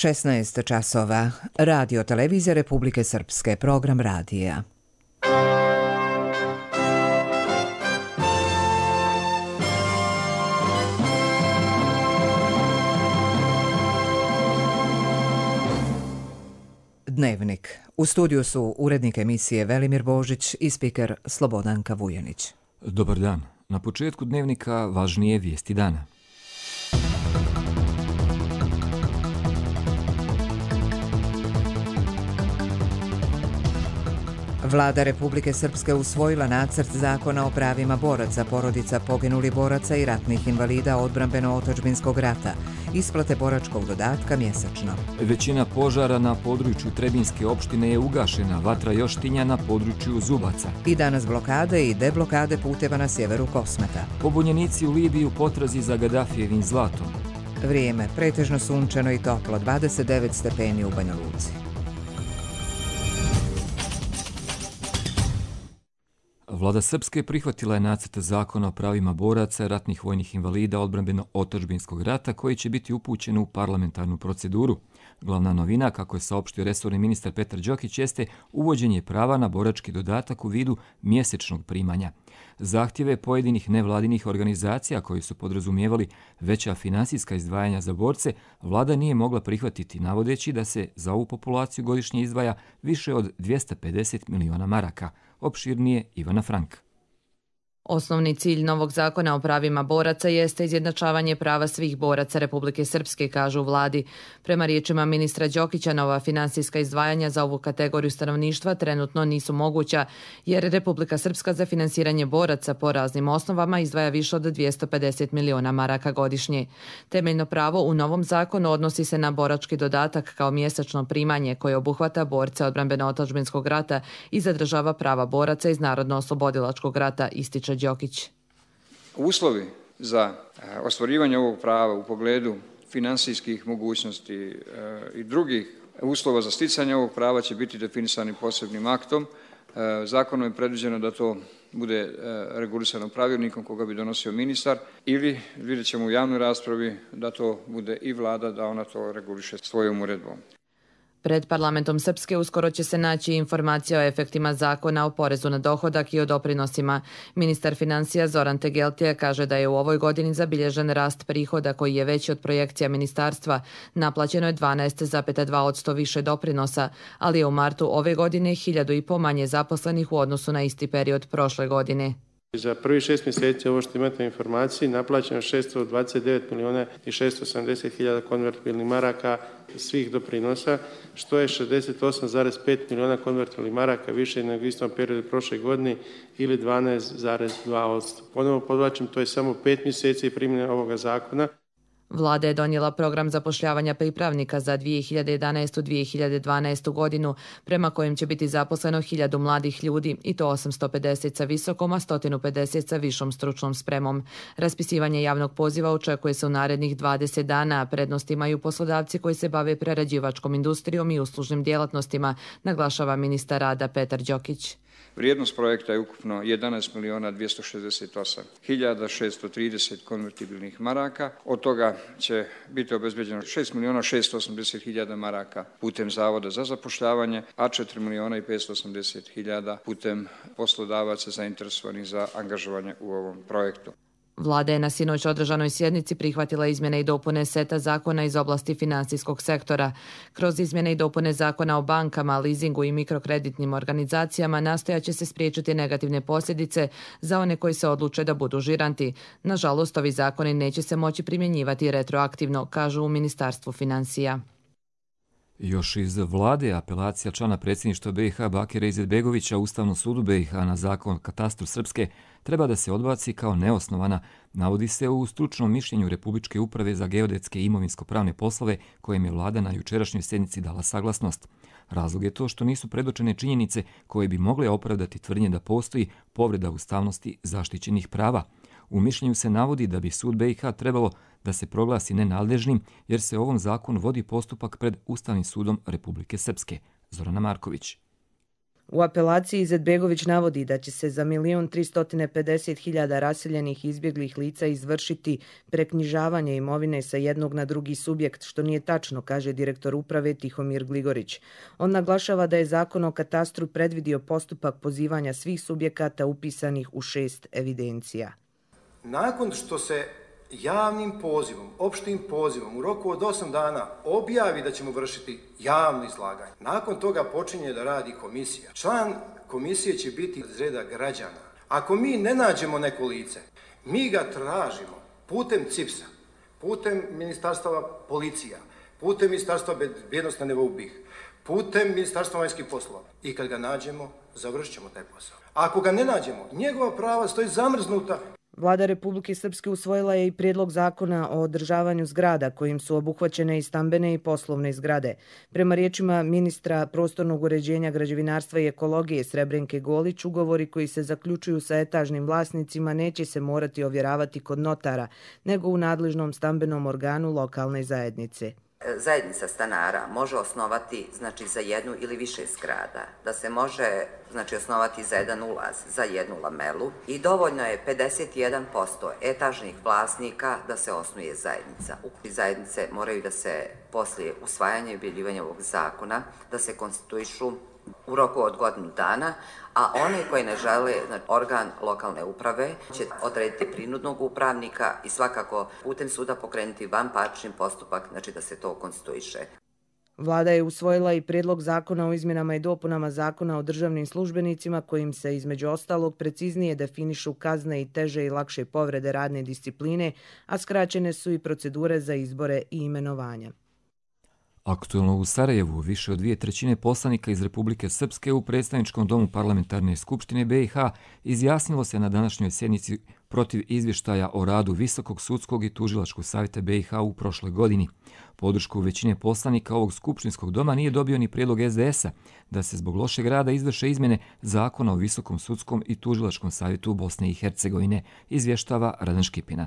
16 časova. Radio Televizija Republike Srpske. Program radija. Dnevnik. U studiju su urednik emisije Velimir Božić i spiker Slobodanka Vujanić. Dobar dan. Na početku dnevnika važnije vijesti dana. Vlada Republike Srpske usvojila nacrt zakona o pravima boraca, porodica poginulih boraca i ratnih invalida odbrambeno-otadžbinskog rata, isplate boračkog dodatka mjesečno. Većina požara na području Trebinjske opštine je ugašena, vatra još tinja na području Zubaca. I danas blokade i deblokade puteva na sjeveru Kosmeta. Pobunjenici u Libiji u potrazi za Gadafijevim zlatom. Vrijeme pretežno sunčano i toplo, 29 stepeni u Banja Luci. Vlada Srpske prihvatila je nacrt zakona o pravima boraca, ratnih vojnih invalida odbrambeno-otadžbinskog rata koji će biti upućen u parlamentarnu proceduru. Glavna novina, kako je saopštio resorni ministar Petar Đokić, jeste uvođenje prava na borački dodatak u vidu mjesečnog primanja. Zahtjeve pojedinih nevladinih organizacija koji su podrazumijevali veća finansijska izdvajanja za borce, vlada nije mogla prihvatiti, navodeći da se za ovu populaciju godišnje izdvaja više od 250 miliona maraka. Opširnije Ivana Frank. Osnovni cilj novog zakona o pravima boraca jeste izjednačavanje prava svih boraca Republike Srpske, kažu u vladi. Prema riječima ministra Đokića, nova finansijska izdvajanja za ovu kategoriju stanovništva trenutno nisu moguća, jer Republika Srpska za finansiranje boraca po raznim osnovama izdvaja više od 250 miliona maraka godišnje. Temeljno pravo u novom zakonu odnosi se na borački dodatak kao mjesečno primanje koje obuhvata borce odbrambeno-otadžbinskog rata i zadržava prava boraca iz Narodno-oslobodilačkog rata, ističe Đokić. Uslovi za ostvarivanje ovog prava u pogledu finansijskih mogućnosti i drugih uslova za sticanje ovog prava će biti definisani posebnim aktom. Zakonom je predviđeno da to bude regulisano pravilnikom koga bi donosio ministar ili vidjet ćemo u javnoj raspravi da to bude i vlada, da ona to reguliše svojom uredbom. Pred parlamentom Srpske uskoro će se naći informacija o efektima zakona o porezu na dohodak i o doprinosima. Ministar financija Zoran Tegeltija kaže da je u ovoj godini zabilježen rast prihoda koji je veći od projekcija ministarstva. Naplaćeno je 12,2% više doprinosa, ali je u martu ove godine 1.500 manje zaposlenih u odnosu na isti period prošle godine. Za prvi 6 mjeseci, ovo što imate informaciji, naplaćeno 629 miliona i 670 hiljada konvertibilnih maraka svih doprinosa, što je 68,5 miliona konvertibilnih maraka više nego u istom periodu prošle godine ili 12,2%. Ponovo podvlačim, to je samo 5 mjeseci primjene ovoga zakona. Vlada je donijela program zapošljavanja pripravnika za 2011-2012 godinu, prema kojem će biti zaposleno 1000 mladih ljudi i to 850 sa visokom, a 150 sa višom stručnom spremom. Raspisivanje javnog poziva očekuje se u narednih 20 dana, a prednost imaju poslodavci koji se bave prerađivačkom industrijom i uslužnim djelatnostima, naglašava ministar rada Petar Đokić. Vrijednost projekta je ukupno 11.268.630 konvertibilnih maraka. Od toga će biti obezbeđeno 6.680.000 maraka putem Zavoda za zapošljavanje, a 4.580.000 putem poslodavaca zainteresovanih za angažovanje u ovom projektu. Vlada je na sinoć održanoj sjednici prihvatila izmjene i dopune seta zakona iz oblasti finansijskog sektora. Kroz izmjene i dopune zakona o bankama, leasingu i mikrokreditnim organizacijama nastojat će se spriječiti negativne posljedice za one koji se odluče da budu žiranti. Nažalost, ovi zakoni neće se moći primjenjivati retroaktivno, kažu u Ministarstvu financija. Još iz vlade apelacija člana predsjedništva BiH Bakira Izetbegovića Ustavnom sudu BiH na zakon o katastru Srpske treba da se odbaci kao neosnovana, navodi se u stručnom mišljenju Republičke uprave za geodetske i imovinsko-pravne poslove kojem je vlada na jučerašnjoj sjednici dala saglasnost. Razlog je to što nisu predočene činjenice koje bi mogle opravdati tvrdnje da postoji povreda ustavnosti zaštićenih prava. U mišljenju se navodi da bi sud BiH trebalo da se proglasi nenadležnim jer se ovom zakonu vodi postupak pred Ustavnim sudom Republike Srpske. Zorana Marković. U apelaciji Izetbegović navodi da će se za 1.350.000 raseljenih i izbjeglih lica izvršiti preknjižavanje imovine sa jednog na drugi subjekt, što nije tačno, kaže direktor uprave Tihomir Gligorić. On naglašava da je Zakon o katastru predvidio postupak pozivanja svih subjekata upisanih u 6 evidencija. Nakon što se javnim pozivom, opštim pozivom u roku od 8 dana objavi da ćemo vršiti javno izlaganje. Nakon toga počinje da radi komisija. Član komisije će biti iz reda građana. Ako mi ne nađemo neko lice, mi ga tražimo putem CIPS-a, putem ministarstva policija, putem ministarstva bezbjednosti na nivou BiH, putem ministarstva vanjskih poslova. I kad ga nađemo, završit ćemo taj posao. Ako ga ne nađemo, njegova prava stoji zamrznuta. Vlada Republike Srpske usvojila je i prijedlog zakona o održavanju zgrada kojim su obuhvaćene i stambene i poslovne zgrade. Prema riječima ministra prostornog uređenja, građevinarstva i ekologije Srebrenke Golić, ugovori koji se zaključuju sa etažnim vlasnicima neće se morati ovjeravati kod notara, nego u nadležnom stambenom organu lokalne zajednice. Zajednica stanara može osnovati za jednu ili više zgrada, da se može osnovati za jedan ulaz, za jednu lamelu i dovoljno je 51% etažnih vlasnika da se osnuje zajednica. Zajednice moraju da se poslije usvajanja i objavljivanja ovog zakona da se konstituišu u roku od godinu dana, a oni koji ne žele, organ lokalne uprave će odrediti prinudnog upravnika i svakako putem suda pokrenuti vanparnični postupak, da se to konstituiše. Vlada je usvojila i prijedlog zakona o izmjenama i dopunama Zakona o državnim službenicima kojim se između ostalog preciznije definišu kazne i teže i lakše povrede radne discipline, a skraćene su i procedure za izbore i imenovanja. Aktualno u Sarajevu više od 2/3 poslanika iz Republike Srpske u predstavničkom domu Parlamentarne skupštine BiH izjasnilo se na današnjoj sjednici protiv izvještaja o radu Visokog sudskog i tužilačkog savjeta BiH u prošloj godini. Podršku većine poslanika ovog skupštinskog doma nije dobio ni prijedlog SDS-a da se zbog lošeg rada izvrše izmjene Zakona o Visokom sudskom i tužilačkom savjetu Bosne i Hercegovine, izvještava Radan Škipina.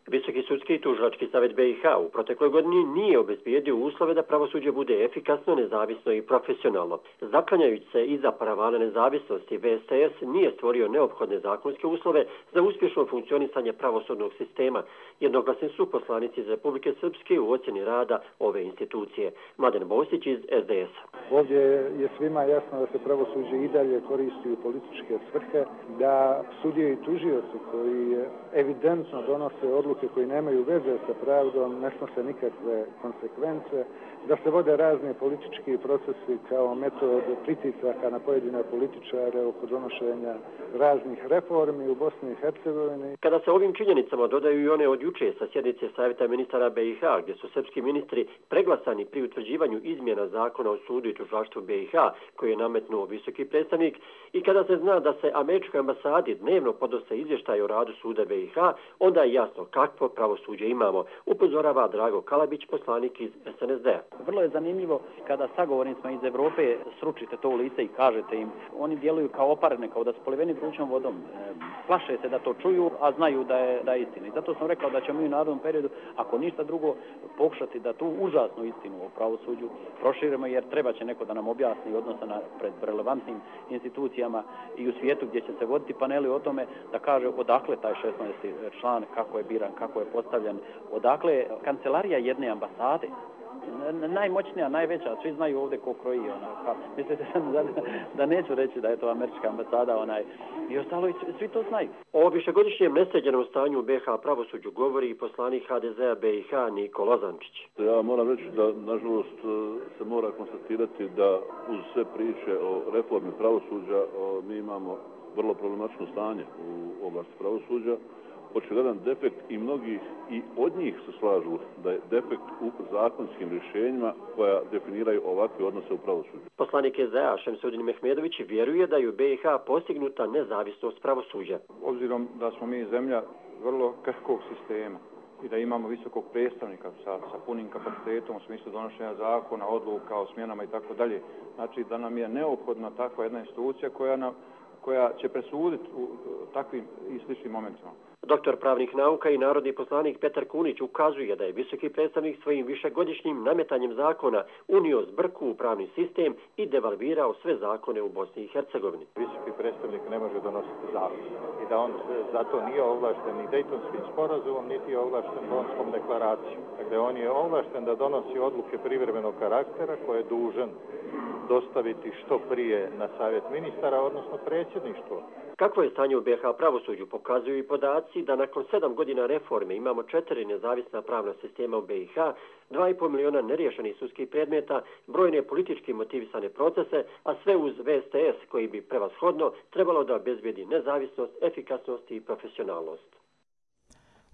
Visoki sudski i tužilački savjet BiH u protekloj godini nije obezbijedio uslove da pravosuđe bude efikasno, nezavisno i profesionalno. Zaklanjajući se iza paravana nezavisnosti, VSS nije stvorio neophodne zakonske uslove za uspješno funkcionisanje pravosudnog sistema. Jednoglasni su poslanici iz Republike Srpske u ocjeni rada ove institucije. Mladen Bosić iz SDS-a. Ovdje je svima jasno da se pravosuđe i dalje koristi u političke svrhe, da sudije i tužioci koji evidentno donose odluke koji nemaju veze sa pravdom, ne snose nikakve konsekvence, da se vode razni politički procesi kao metod pritisaka na pojedine političare oko donošenja raznih reformi u Bosni i Hercegovini. Kada se ovim činjenicama dodaju i one od juče sa sjednice Savjeta ministara BiH, gdje su srpski ministri preglasani pri utvrđivanju izmjena Zakona o sudu i tužilaštvu BiH, koji je nametnuo visoki predstavnik, i kada se zna da se američkoj ambasadi dnevno podnose izvještaj o radu suda BiH, onda je jasno kakvo pravosuđe imamo, upozorava Drago Kalabić, poslanik iz SNSD-a. Vrlo je zanimljivo kada sagovornicima iz Evrope sručite to u lice i kažete im, oni djeluju kao oparene, kao da su poliveni vrućom vodom. Plaše se da to čuju, a znaju da je istina. I zato sam rekao da ćemo mi u narednom periodu, ako ništa drugo, pokušati da tu užasnu istinu o pravosuđu proširimo, jer treba će neko da nam objasni odnosa pred relevantnim institucijama i u svijetu gdje će se voditi paneli o tome, da kaže odakle taj 16. član, kako je biran, kako je postavljen, odakle kancelarija jedne ambasade, najmoćnija, najveća, svi znaju ovdje ko kroji ona. Mislite da neću reći da je to američka ambasada i ostalo i svi to znaju. O višegodišnjem nesređenom stanju u BiH pravosuđu govori i poslanik HDZ-a BiH Niko Lozančić. Ja moram reći da nažalost se mora konstatirati da uz sve priče o reformi pravosuđa mi imamo vrlo problematično stanje u oblasti pravosuđa. Očigledan defekt i mnogi i od njih se slažu da je defekt u zakonskim rješenjima koja definiraju ovakve odnose u pravosuđu. Poslanik SDA Šemsudin Mehmedović vjeruje da je u BiH postignuta nezavisnost pravosuđa. Obzirom da smo mi zemlja vrlo krhkog sistema i da imamo visokog predstavnika sa punim kapacitetom u smislu donošenja zakona, odluka o smjenama i tako dalje, znači da nam je neophodna takva jedna institucija koja koja će presuditi u takvim i sličnim momentima. Doktor pravnih nauka i narodni poslanik Petar Kunić ukazuje da je visoki predstavnik svojim višegodišnjim nametanjem zakona unio zbrku u pravni sistem i devalvirao sve zakone u Bosni i Hercegovini. Visoki predstavnik ne može donositi zakon i da on zato nije ovlašten ni Dejtonskim sporazumom, niti je ovlašten Bonskom deklaracijom. Dakle, on je ovlašten da donosi odluke privremenog karaktera koje je dužan dostaviti što prije na savjet ministara, odnosno predsjedništvo. Kakvo je stanje u BiH pravosuđu pokazuju i podaci da nakon 7 godina reforme imamo 4 nezavisna pravna sistema u BiH, 2,5 miliona neriješenih sudskih predmeta, brojne politički motivisane procese, a sve uz VSTS koji bi prevashodno trebalo da obezbedi nezavisnost, efikasnost i profesionalnost.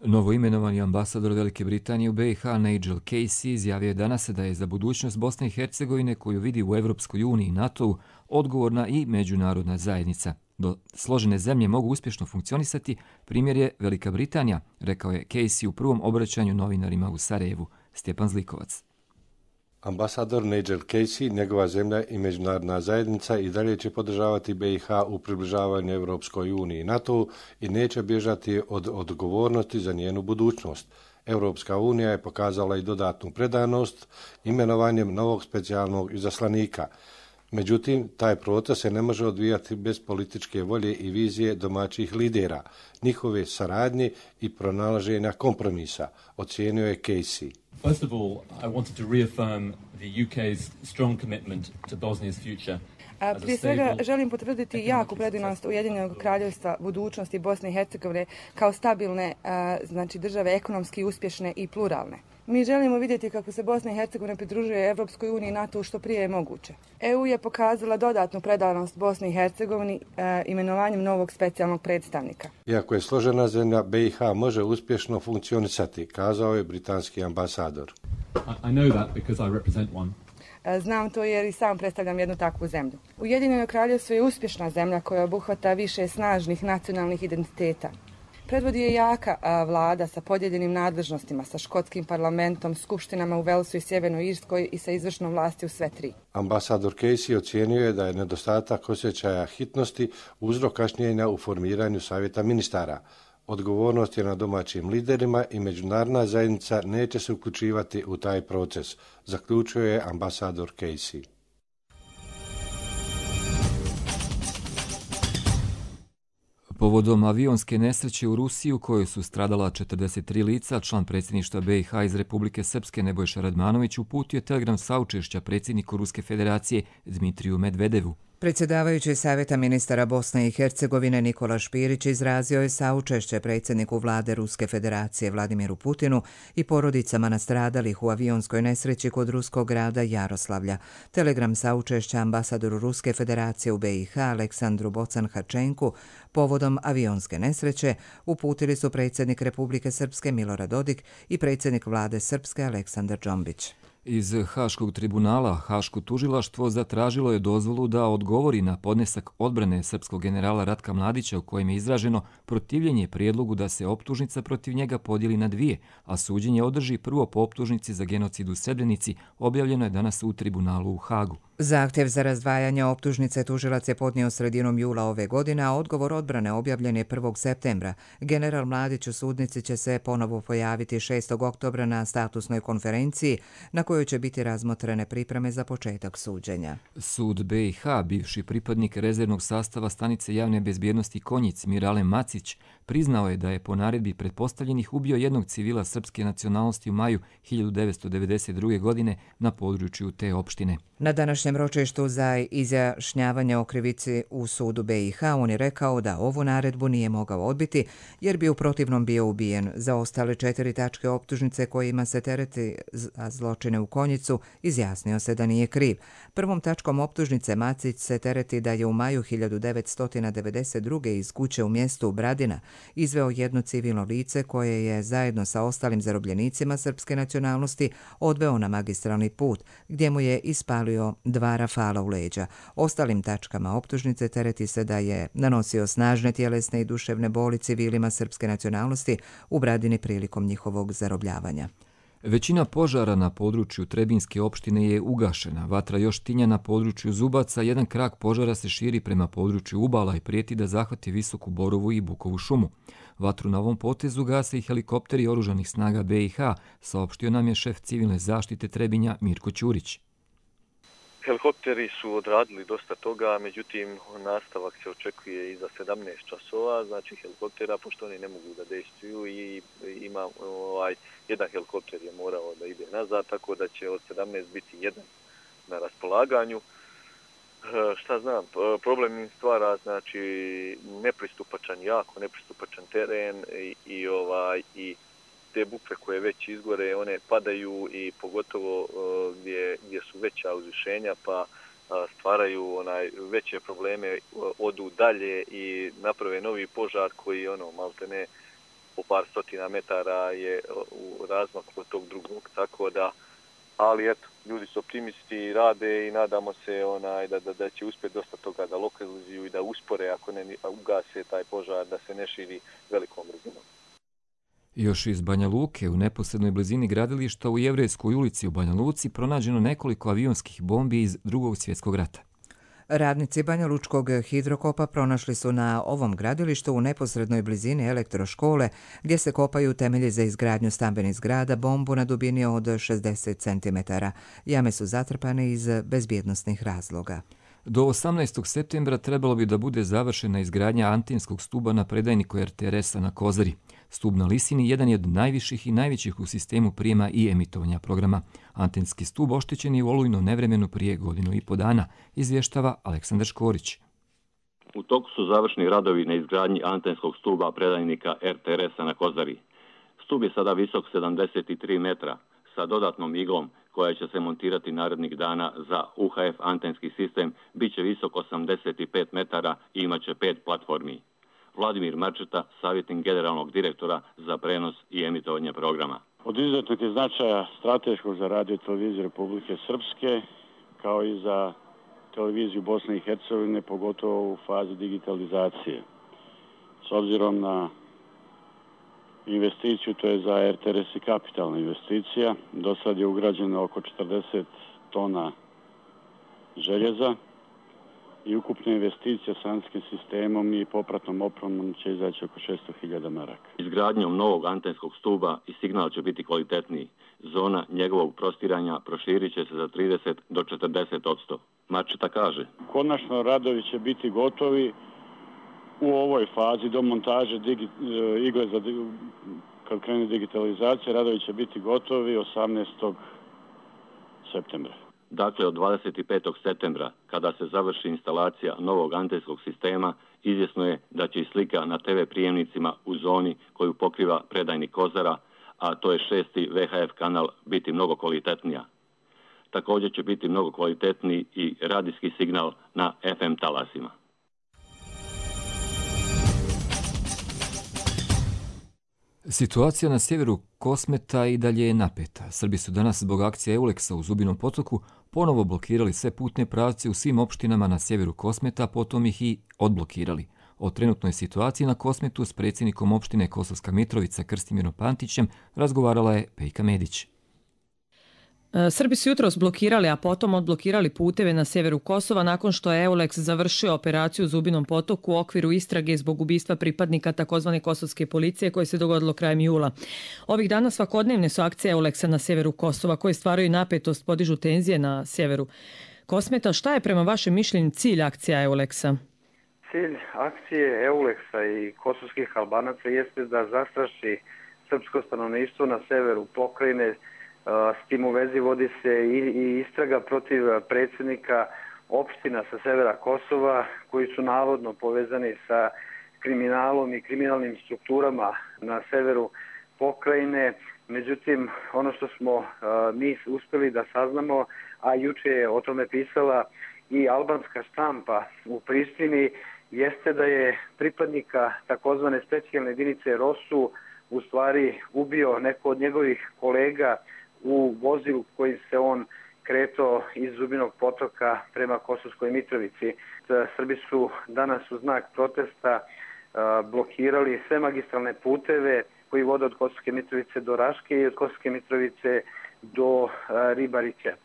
Novo imenovani ambasador Velike Britanije u BiH Nigel Casey izjavio je danas da je za budućnost Bosne i Hercegovine, koju vidi u Evropskoj uniji i NATO-u, odgovorna i međunarodna zajednica. Do složene zemlje mogu uspješno funkcionisati, primjer je Velika Britanija, rekao je Casey u prvom obraćanju novinarima u Sarajevu. Stjepan Zlikovac. Ambasador Nigel Casey, njegova zemlja i međunarodna zajednica i dalje će podržavati BiH u približavanju Evropskoj uniji i NATO i neće bježati od odgovornosti za njenu budućnost. Evropska unija je pokazala i dodatnu predanost imenovanjem novog specijalnog izaslanika. Međutim, taj proces se ne može odvijati bez političke volje i vizije domaćih lidera, njihove saradnje i pronalaženja kompromisa, ocijenio je Casey. First of all, I wanted to reaffirm the UK's strong commitment to Bosnia's future. Prije svega želim potvrditi jaku predanost Ujedinjenog kraljevstva budućnosti Bosne i Hercegovine kao stabilne države, ekonomski uspješne i pluralne. Mi želimo vidjeti kako se Bosna i Hercegovina pridružuje Evropskoj uniji i NATO što prije je moguće. EU je pokazala dodatnu predanost Bosni i Hercegovini imenovanjem novog specijalnog predstavnika. Iako je složena zemlja, BiH može uspješno funkcionisati, kazao je britanski ambasador. I know that because I represent one. Znam to jer i sam predstavljam jednu takvu zemlju. Ujedinjeno kraljevstvo je uspješna zemlja koja obuhvata više snažnih nacionalnih identiteta. Predvodi je jaka vlada sa podijeljenim nadležnostima, sa škotskim parlamentom, skupštinama u Velsu i Sjevernoj Irskoj i sa izvršnom vlasti u sve tri. Ambasador Casey ocijenio je da je nedostatak osjećaja hitnosti uzrok kašnjenja u formiranju savjeta ministara. Odgovornost je na domaćim liderima i međunarodna zajednica neće se uključivati u taj proces, zaključio je ambasador Casey. Povodom avionske nesreće u Rusiji u kojoj su stradala 43 lica, član predsjedništva BiH iz Republike Srpske Nebojša Radmanović uputio telegram saučešća predsjedniku Ruske federacije Dmitriju Medvedevu. Predsjedavajući Savjeta ministara Bosne i Hercegovine Nikola Špirić izrazio je saučešće predsjedniku vlade Ruske federacije Vladimiru Putinu i porodicama nastradalih u avionskoj nesreći kod ruskog grada Jaroslavlja. Telegram saučešća ambasadoru Ruske federacije u BiH Aleksandru Bocan-Hačenku povodom avionske nesreće uputili su predsjednik Republike Srpske Milorad Dodik i predsjednik vlade Srpske Aleksandar Džombić. Iz Haškog tribunala Haško tužilaštvo zatražilo je dozvolu da odgovori na podnesak odbrane srpskog generala Ratka Mladića u kojem je izraženo protivljenje prijedlogu da se optužnica protiv njega podijeli na dvije, a suđenje održi prvo po optužnici za genocid u Srebrenici, objavljeno je danas u tribunalu u Hagu. Zahtjev za razdvajanje optužnice tužilac je podnio sredinom jula ove godine, a odgovor odbrane objavljen je 1. septembra. General Mladić u sudnici će se ponovo pojaviti 6. oktobra na statusnoj konferenciji na kojoj će biti razmotrene pripreme za početak suđenja. Sud BiH, bivši pripadnik rezervnog sastava stanice javne bezbjednosti Konjic Mirale Macić, priznao je da je po naredbi pretpostavljenih ubio jednog civila srpske nacionalnosti u maju 1992. godine na području te opštine. Na današnjem ročištu za izjašnjavanje o krivici u sudu BiH on je rekao da ovu naredbu nije mogao odbiti jer bi u protivnom bio ubijen. Za ostale 4 tačke optužnice kojima se tereti za zločine u Konjicu izjasnio se da nije kriv. Prvom tačkom optužnice Macić se tereti da je u maju 1992. iz kuće u mjestu Bradina izveo jedno civilno lice koje je zajedno sa ostalim zarobljenicima srpske nacionalnosti odveo na magistralni put gdje mu je ispalio 2 rafala u leđa. Ostalim tačkama optužnice tereti se da je nanosio snažne tjelesne i duševne boli civilima srpske nacionalnosti u Bradini prilikom njihovog zarobljavanja. Većina požara na području Trebinjske opštine je ugašena. Vatra još tinja na području Zubaca, jedan krak požara se širi prema području Ubala i prijeti da zahvati Visoku Borovu i Bukovu šumu. Vatru na ovom potezu gase i helikopteri oružanih snaga BiH, saopštio nam je šef civilne zaštite Trebinja Mirko Ćurić. Helikopteri su odradili dosta toga, međutim nastavak se očekuje i za 17 časova, znači helikoptera, pošto oni ne mogu da dejstvuju i ima jedan helikopter je morao da ide nazad, tako da će od 17 biti jedan na raspolaganju. Šta znam, problem im stvara, znači jako nepristupačan teren i te bukve koje već izgore, one padaju i pogotovo gdje su veća uzvišenja pa stvaraju veće probleme, odu dalje i naprave novi požar koji maltene po par stotina metara je u razmaku od tog drugog, tako da, ali eto, ljudi su optimisti, rade i nadamo se da će uspjeti dosta toga da lokalizuju i da uspore, ako ne ugase taj požar, da se ne širi velikom brzinom. Još iz Banja Luke, u neposrednoj blizini gradilišta u Jevrejskoj ulici u Banja Luci, pronađeno nekoliko avionskih bombi iz Drugog svjetskog rata. Radnici Banja Lučkog hidrokopa pronašli su na ovom gradilištu u neposrednoj blizini elektroškole, gdje se kopaju temelji za izgradnju stambenih zgrada, bombu na dubini od 60 cm. Jame su zatrpane iz bezbjednosnih razloga. Do 18. septembra trebalo bi da bude završena izgradnja antenskog stuba na predajniku RTRS-a na Kozari. Stub na Lisini jedan je od najviših i najvećih u sistemu prijema i emitovanja programa. Antenski stub oštećen je u olujnom nevremenu prije 1,5 dana, izvještava Aleksandar Škorić. U toku su završni radovi na izgradnji antenskog stuba predajnika RTRS-a na Kozari. Stub je sada visok 73 metra sa dodatnom iglom koja će se montirati narednih dana za UHF antenski sistem, bit će visok 85 metara i imat će 5 platformi. Vladimir Marčeta, savjetnik generalnog direktora za prenos i emitovanje programa. Od izuzetnog je značaja strateškog za radio televiziju Republike Srpske, kao i za televiziju Bosne i Hercegovine, pogotovo u fazi digitalizacije. S obzirom na investiciju, to je za RTRS i kapitalna investicija, do sad je ugrađeno oko 40 tona željeza i ukupna investicija s antenskim sistemom i popratnom opremom će izaći oko 600.000 maraka. Izgradnjom novog antenskog stuba i signal će biti kvalitetniji. Zona njegovog prostiranja proširit će se za 30 do 40%. Marčeta kaže: konačno radovi će biti gotovi u ovoj fazi do montaže igle kad krene digitalizacija, radovi će biti gotovi 18. septembra. Dakle, od 25. septembra, kada se završi instalacija novog antenskog sistema, izvjesno je da će i slika na TV prijemnicima u zoni koju pokriva predajnik Kozara, a to je 6. VHF kanal, biti mnogo kvalitetnija. Također će biti mnogo kvalitetniji i radijski signal na FM talasima. Situacija na sjeveru Kosmeta i dalje je napeta. Srbi su danas zbog akcije EULEX-a u Zubinom potoku ponovo blokirali sve putne pravce u svim opštinama na sjeveru Kosmeta, potom ih i odblokirali. O trenutnoj situaciji na Kosmetu s predsjednikom opštine Kosovska Mitrovica Krstimirom Pantićem razgovarala je Pejka Medić. Srbi su jutros blokirali, a potom odblokirali puteve na sjeveru Kosova nakon što je EULEX završio operaciju u Zubinom potoku u okviru istrage zbog ubistva pripadnika tzv. Kosovske policije koje se dogodilo krajem jula. Ovih dana svakodnevne su akcije EULEX-a na sjeveru Kosova koje stvaraju napetost, podižu tenzije na sjeveru Kosmeta. Šta je prema vašem mišljenju cilj akcija EULEX-a? Cilj akcije EULEX-a i kosovskih Albanaca jeste da zastraši srpsko stanovništvo na severu pokrajine. S tim u vezi vodi se i istraga protiv predsjednika opština sa severa Kosova koji su navodno povezani sa kriminalom i kriminalnim strukturama na severu pokrajine. Međutim, ono što smo mi uspjeli da saznamo, a juče je o tome pisala i albanska štampa u Prištini, jeste da je pripadnika takozvane specijalne jedinice ROSU u stvari ubio neko od njegovih kolega u vozilu kojim se on kretao iz Zubinog potoka prema Kosovskoj Mitrovici. Srbi su danas u znak protesta blokirali sve magistralne puteve koji vode od Kosovske Mitrovice do Raške i od Kosovske Mitrovice do Ribarića.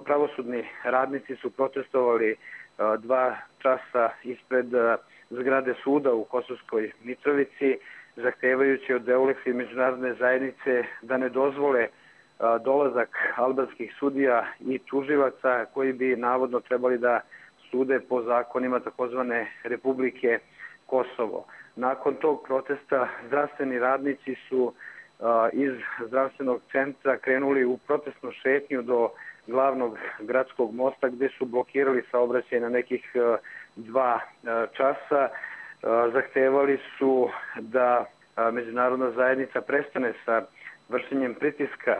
Pravosudni radnici su protestovali 2 časa ispred zgrade suda u Kosovskoj Mitrovici, zahtevajući od EULEX-a i međunarodne zajednice da ne dozvole dolazak albanskih sudija i tuživaca koji bi navodno trebali da sude po zakonima takozvane Republike Kosovo. Nakon tog protesta zdravstveni radnici su iz zdravstvenog centra krenuli u protestnu šetnju do glavnog gradskog mosta gdje su blokirali saobraćaj na nekih 2 časa. Zahtevali su da međunarodna zajednica prestane sa vršenjem pritiska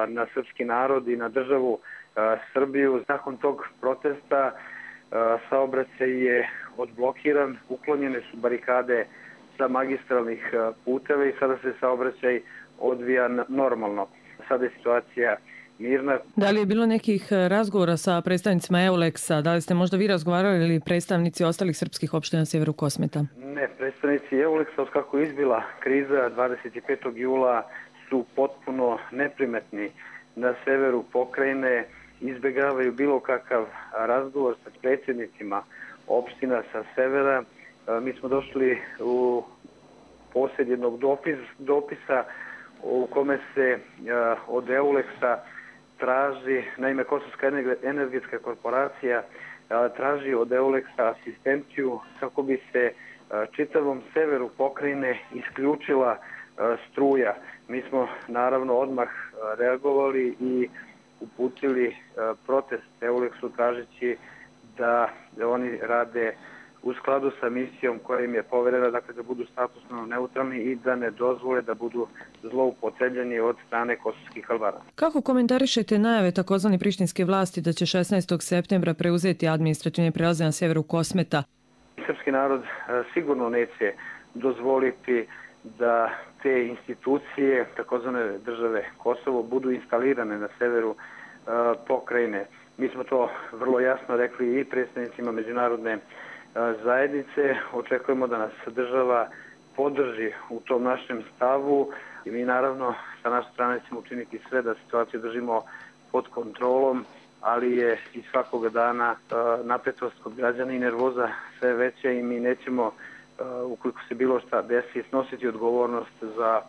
na srpski narod i na državu Srbiju. Nakon tog protesta saobraćaj je odblokiran, uklonjene su barikade sa magistralnih puteva i sada se saobraćaj odvija normalno. Sada je situacija mirna. Da li je bilo nekih razgovora sa predstavnicima EULEX-a? Da li ste možda vi razgovarali ili predstavnici ostalih srpskih opština na sjeveru Kosmeta? Ne, predstavnici EULEX-a od kako je izbila kriza 25. jula su potpuno neprimetni na severu pokrajine, izbjegavaju bilo kakav razgovor sa predsjednicima opština sa severa. Mi smo došli u posjed jednog dopisa u kome se od EULEX-a traži, naime Kosovska energetska korporacija traži od EULEX-a asistenciju kako bi se čitavom severu pokrajine isključila struja. Mi smo naravno odmah reagovali i uputili protest EULEX-u tražeći da oni rade u skladu sa misijom koja im je poverena, dakle da budu statusno neutralni i da ne dozvole da budu zloupotrebljeni od strane kosovskih Albanaca. Kako komentarišete najave takozvane prištinske vlasti da će 16. septembra preuzeti administrativne prelaze na severu Kosmeta? Srpski narod sigurno neće dozvoliti da te institucije, takozvane države Kosovo, budu instalirane na severu pokrajine. Mi smo to vrlo jasno rekli i predstavnicima međunarodne zajednice. Očekujemo da nas država podrži u tom našem stavu i mi naravno sa naše strane ćemo učiniti sve da situaciju držimo pod kontrolom, ali je i svakoga dana napetost kod građana i nervoza sve veća i mi nećemo, ukoliko se bilo šta desi, snositi odgovornost za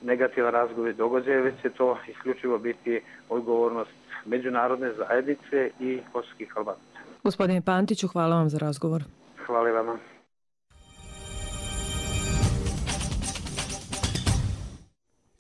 negativan razgovor i događaje, već će to isključivo biti odgovornost međunarodne zajednice i kosovskih Albanaca. Gospodine Pantiću, hvala vam za razgovor. Hvala vama.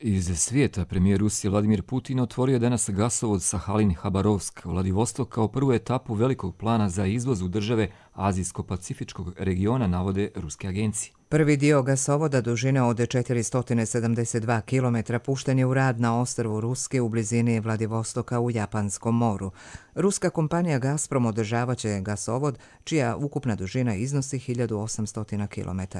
Iz svijeta premijer Rusije Vladimir Putin otvorio danas gasovod Sahalin-Habarovsk u Vladivostok kao prvu etapu velikog plana za izvoz u države Azijsko-Pacifičkog regiona, navode ruske agencije. Prvi dio gasovoda dužine od 472 km pušten je u rad na ostrvu Ruske u blizini Vladivostoka u Japanskom moru. Ruska kompanija Gazprom održavaće gasovod čija ukupna dužina iznosi 1800 km.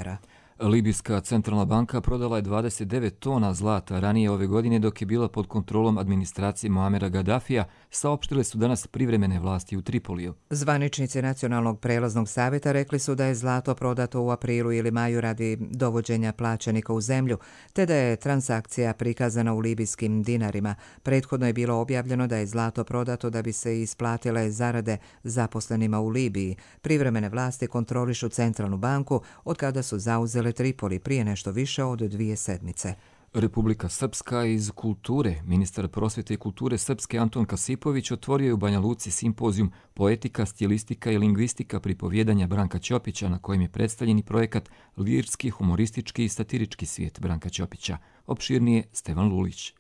Libijska centralna banka prodala je 29 tona zlata ranije ove godine dok je bila pod kontrolom administracije Muamera Gaddafija, saopštile su danas privremene vlasti u Tripoliju. Zvaničnici Nacionalnog prelaznog savjeta rekli su da je zlato prodato u aprilu ili maju radi dovođenja plaćenika u zemlju, te da je transakcija prikazana u libijskim dinarima. Prethodno je bilo objavljeno da je zlato prodato da bi se isplatile zarade zaposlenima u Libiji. Privremene vlasti kontrolišu centralnu banku od kada su zauzele Tripoli prije nešto više od 2 sedmice. Republika Srpska iz kulture. Ministar prosvjete i kulture Srpske Anton Kasipović otvorio je u Banja Luci simpozijum Poetika, stilistika i lingvistika pripovjedanja Branka Ćopića, na kojem je predstavljen i projekat Lirski, humoristički i satirički svijet Branka Ćopića. Opširnije Stevan Lulić.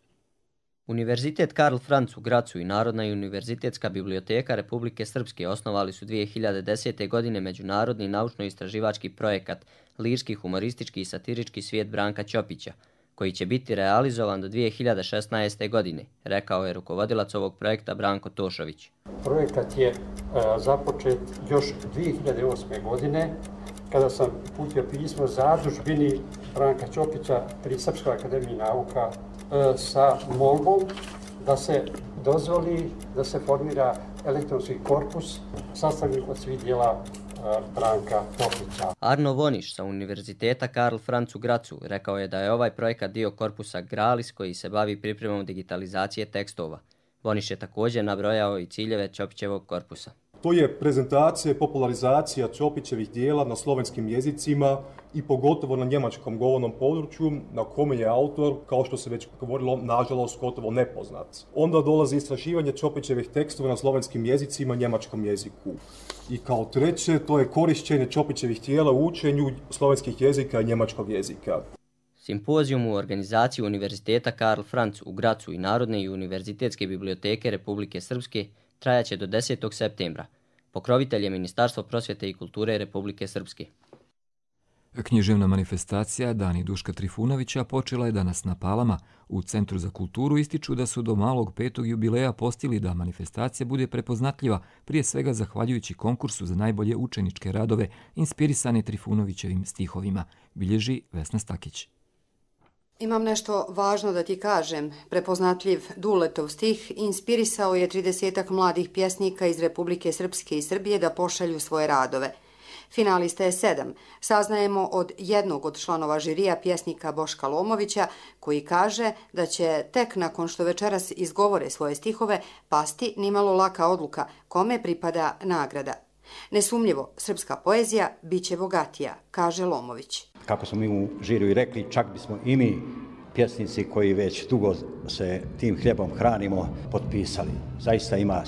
Univerzitet Karl Franz u Gracu i Narodna i univerzitetska biblioteka Republike Srpske osnovali su 2010. godine međunarodni naučno-istraživački projekat Lirski, humoristički i satirički svijet Branka Ćopića, koji će biti realizovan do 2016. godine, rekao je rukovodilac ovog projekta Branko Tošović. Projekat je započet još 2008. godine, kada sam uputio pismo zadužbini Branka Ćopića pri Srpskoj akademiji nauka sa molbom da se dozvoli da se formira elektronski korpus sastavljen od svih dijela Branka Čopića. Arno Voniš sa Univerziteta Karl Franz u Grazu rekao je da je ovaj projekat dio korpusa Gralis koji se bavi pripremom digitalizacije tekstova. Voniš je također nabrojao i ciljeve Čopićevog korpusa. To je prezentacija i popularizacija Čopićevih dijela na slovenskim jezicima i pogotovo na njemačkom govornom području na kome je autor, kao što se već govorilo, nažalost gotovo nepoznat. Onda dolazi istraživanje Čopićevih tekstova na slovenskim jezicima i njemačkom jeziku. I kao treće, to je korišćenje Čopićevih dijela u učenju slovenskih jezika i njemačkog jezika. Simpozijum u organizaciji Univerziteta Karl Franz u Grazu i Narodne i univerzitetske biblioteke Republike Srpske trajaće do 10. septembra. Pokrovitelj je Ministarstvo prosvjete i kulture Republike Srpske. Književna manifestacija Dani Duška Trifunovića počela je danas na Palama. U Centru za kulturu ističu da su do malog 5. jubileja postigli da manifestacija bude prepoznatljiva, prije svega zahvaljujući konkursu za najbolje učeničke radove inspirisane Trifunovićevim stihovima, bilježi Vesna Stakić. Imam nešto važno da ti kažem. Prepoznatljiv Duletov stih inspirisao je 30-ak mladih pjesnika iz Republike Srpske i Srbije da pošalju svoje radove. Finalista je 7. Saznajemo od jednog od članova žirija pjesnika Boška Lomovića, koji kaže da će tek nakon što večeras izgovore svoje stihove pasti nimalo laka odluka kome pripada nagrada. Nesumnjivo, srpska poezija bit će bogatija, kaže Lomović. Kako smo mi u žiriju i rekli, čak bismo i mi, pjesnici koji već dugo se tim hljebom hranimo, potpisali. Zaista ima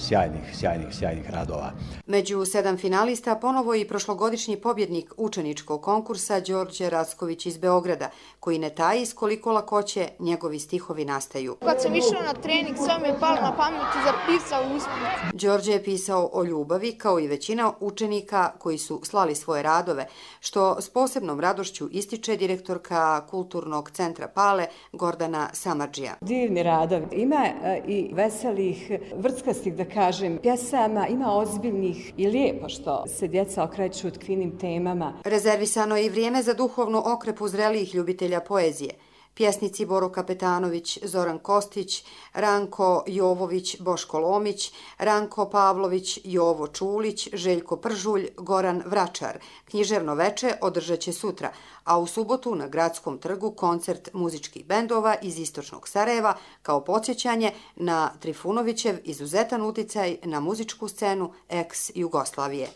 sjajnih radova. Među 7 finalista ponovo i prošlogodišnji pobjednik učeničkog konkursa Đorđe Racković iz Beograda, koji ne taji s koliko lakoće njegovi stihovi nastaju. Kad sam išao na trening, sve mi je palo na pamet i zapisao usput. Đorđe je pisao o ljubavi, kao i većina učenika koji su slali svoje radove, što s posebnom radošću ističe direktorka Kulturnog centra Pale Gordana Samardžija. Divni radov. Ima i veselih, vrckastih, da kažem, pjesama, ima ozbiljnih i lijepo što se djeca okreću otkrivenim temama. Rezervisano je i vrijeme za duhovnu okrepu zrelijih ljubitelja poezije. Pjesnici Boro Kapetanović, Zoran Kostić, Ranko Jovović, Boško Lomić, Ranko Pavlović, Jovo Čulić, Željko Pržulj, Goran Vračar. Književno veče održat će sutra, a u subotu na Gradskom trgu koncert muzičkih bendova iz istočnog Sarajeva kao podsjećanje na Trifunovićev izuzetan uticaj na muzičku scenu ex-Jugoslavije.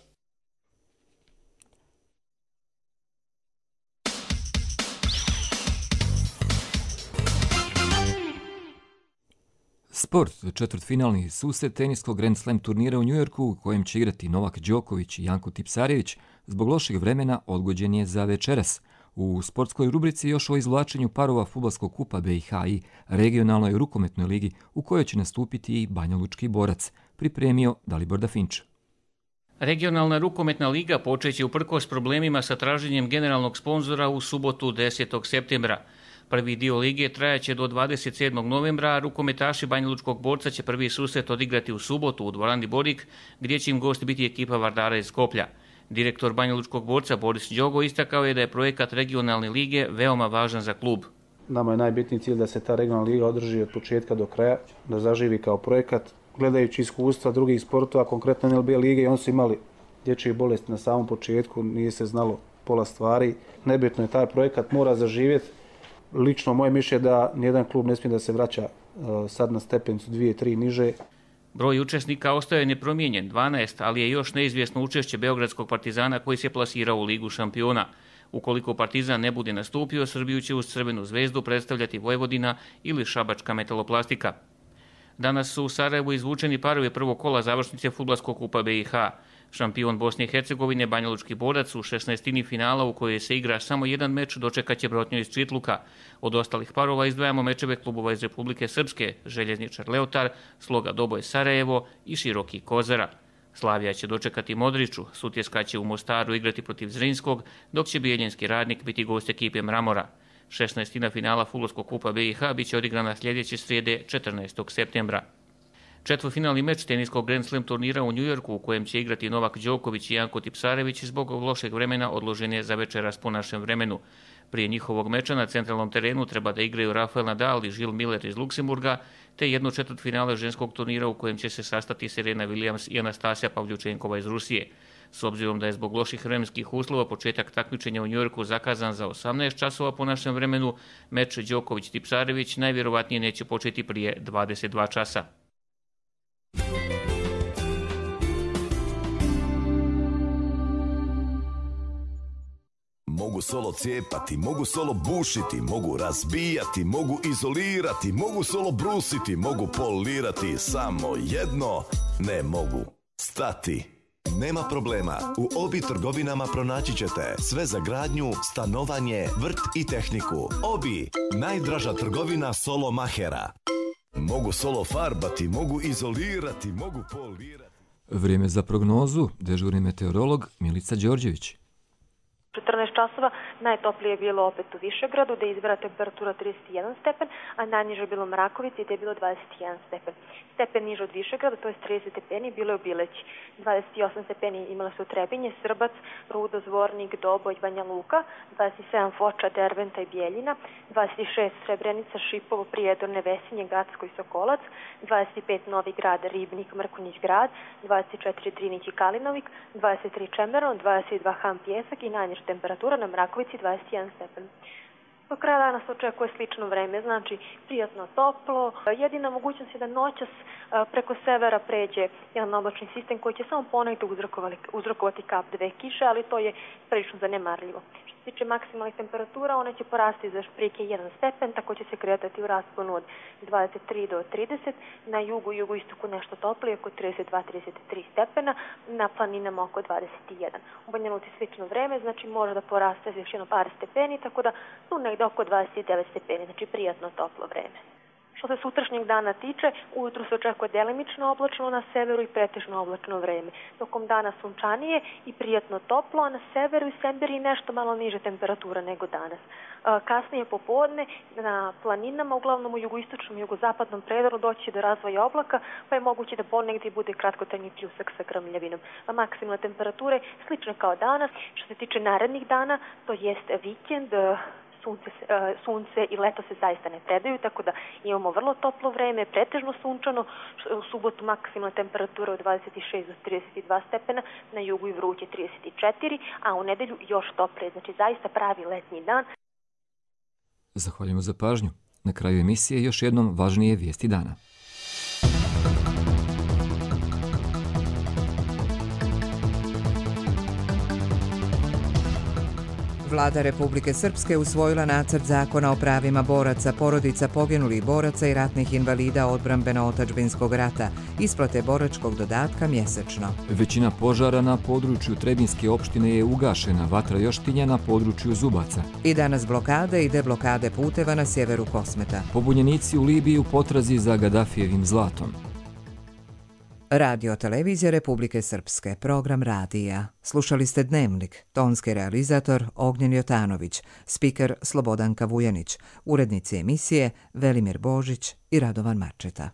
Sport, četvrtfinalni susret teniskog Grand Slam turnira u Njujorku u kojem će igrati Novak Đoković i Janko Tipsarević, zbog lošeg vremena odgođen je za večeras. U sportskoj rubrici još o izvlačenju parova fudbalskog kupa BiH i regionalnoj rukometnoj ligi u kojoj će nastupiti i Banjalučki borac, pripremio Dalibor Dafinč. Regionalna rukometna liga počeće uprkos problemima sa traženjem generalnog sponzora u subotu 10. septembra. Prvi dio lige trajaće do 27. novembra, a rukometaši Banjalučkog borca će prvi susret odigrati u subotu u dvorani Borik, gdje će im gost biti ekipa Vardara iz Skoplja. Direktor Banjalučkog borca Boris Đogo istakao je da je projekat regionalne lige veoma važan za klub. Nama je najbitniji cilj da se ta regionalna liga održi od početka do kraja, da zaživi kao projekat. Gledajući iskustva drugih sportova, konkretno NLB lige, oni su imali dječje bolesti na samom početku, nije se znalo pola stvari. Nebitno je, taj projekat mora zaživjeti. Lično moje mišljenje da nijedan klub ne smije da se vraća sad na stepenicu 2-3 niže. Broj učesnika ostaje nepromijenjen, 12, ali je još neizvjesno učešće Beogradskog Partizana koji se plasirao u Ligu šampiona. Ukoliko Partizan ne bude nastupio, Srbiju će uz Crvenu zvezdu predstavljati Vojvodina ili Šabačka metaloplastika. Danas su u Sarajevu izvučeni parovi prvog kola završnice fudbalskog kupa BiH. Šampion Bosne i Hercegovine Banjalučki borac u 16. finala u kojoj se igra samo jedan meč dočekaće Brotnju iz Čitluka. Od ostalih parova izdvajamo mečeve klubova iz Republike Srpske, Željezničar Leotar, Sloga Doboj Sarajevo i Široki Kozara. Slavija će dočekati Modriću, Sutjeska će u Mostaru igrati protiv Zrinskog, dok će Bijeljinski Radnik biti gost ekipe Mramora. 16. finala fudbalskog kupa BiH biće odigrana sljedeće srijede 14. septembra. Četvrtfinalni meč teniskog Grand Slam turnira u Njujorku u kojem će igrati Novak Đoković i Janko Tipsarević zbog lošeg vremena odložen je za večeras po našem vremenu. Prije njihovog meča na centralnom terenu treba da igraju Rafael Nadal i Žil Miller iz Luksemburga, te jedno četvrtfinale ženskog turnira u kojem će se sastati Serena Williams i Anastasija Pavljučenkova iz Rusije. S obzirom da je zbog loših vremenskih uslova početak takmičenja u Njujorku zakazan za 18 časova po našem vremenu, meč Đoković-Tipsarević najvjerovatnije neće početi prije 22 časa. Mogu solo cijepati, mogu solo bušiti, mogu razbijati, mogu izolirati, mogu solo brusiti, mogu polirati, samo jedno ne mogu stati. Nema problema, u Obi trgovinama pronaći ćete sve za gradnju, stanovanje, vrt i tehniku. Obi, najdraža trgovina solo mahera. Mogu solo farbati, mogu izolirati, mogu polirati. Vrijeme za prognozu, dežurni meteorolog Milica Đorđević. 14 časova, najtoplije je bilo opet u Višegradu, gde je izbira temperatura 31 stepen, a najniže je bilo u Mrakovici, gde je bilo 21 stepen. Stepen niže od Višegrada, to je 30 stepeni, bilo je u Bileći. 28 stepeni imala su Trebinje, Srbac, Rudo, Zvornik, Doboj, Banja Luka, 27 Foča, Derventa i Bijeljina, 26 Srebrenica, Šipovo, Prijedorne, Vesinje, Gacko i Sokolac, 25 Novi Grad, Ribnik, Mrkonjić Grad, 24 Drinić i Kalinovik, 23 Čemeron, 22 Han Pjesak i najniža temperatura na Mrakovici 21 stepen. Do kraja dana se očekuje slično vreme, znači prijatno toplo. Jedina mogućnost je da noćas preko severa pređe jedan oblačni sistem koji će samo ponegdje uzrokovati kap 2 kiše, ali to je prilično zanemarljivo. Što se tiče maksimalnih temperatura, one će porasti za šprike 1 stepen, tako će se kretati u rasponu od 23 do 30, na jugu i jugoistoku nešto toplije, oko 32-33 stepena, na planinama oko 21. U Banja Luci slično vreme, znači može da poraste još jedno par stepeni, tako da tu negdje oko 29 stepeni, znači prijatno toplo vreme. Što se sutrašnjeg dana tiče, ujutru se očekuje delimično oblačno na severu i pretežno oblačno vreme. Tokom dana sunčanije i prijatno toplo, a na severu i Semberiji nešto malo niže temperatura nego danas. Kasnije popodne na planinama, uglavnom u jugoistočnom i jugozapadnom predoru, doći do razvoja oblaka, pa je moguće da ponegdje bude kratkotrajni pljusak sa grmljavinom. Maksimalne temperature slične kao danas. Što se tiče narednih dana, to jest vikend, sunce i leto se zaista ne predaju, tako da imamo vrlo toplo vreme, pretežno sunčano, u subotu maksimalna temperatura od 26 do 32 stepena, na jugu i vruće 34, a u nedelju još toplije, znači zaista pravi letnji dan. Zahvaljujemo za pažnju. Na kraju emisije još jednom važnije vijesti dana. Vlada Republike Srpske usvojila nacrt zakona o pravima boraca, porodica poginulih boraca i ratnih invalida odbrambeno-otačbinskog rata, isplate boračkog dodatka mjesečno. Većina požara na području Trebinske opštine je ugašena, vatra još tinja na području Zubaca. I danas blokade i deblokade puteva na sjeveru Kosmeta. Pobunjenici u Libiji u potrazi za Gadafijevim zlatom. Radio televizija Republike Srpske, program radija. Slušali ste Dnevnik, tonski realizator Ognjen Jotanović, spiker Slobodanka Vujanić, urednici emisije Velimir Božić i Radovan Marčeta.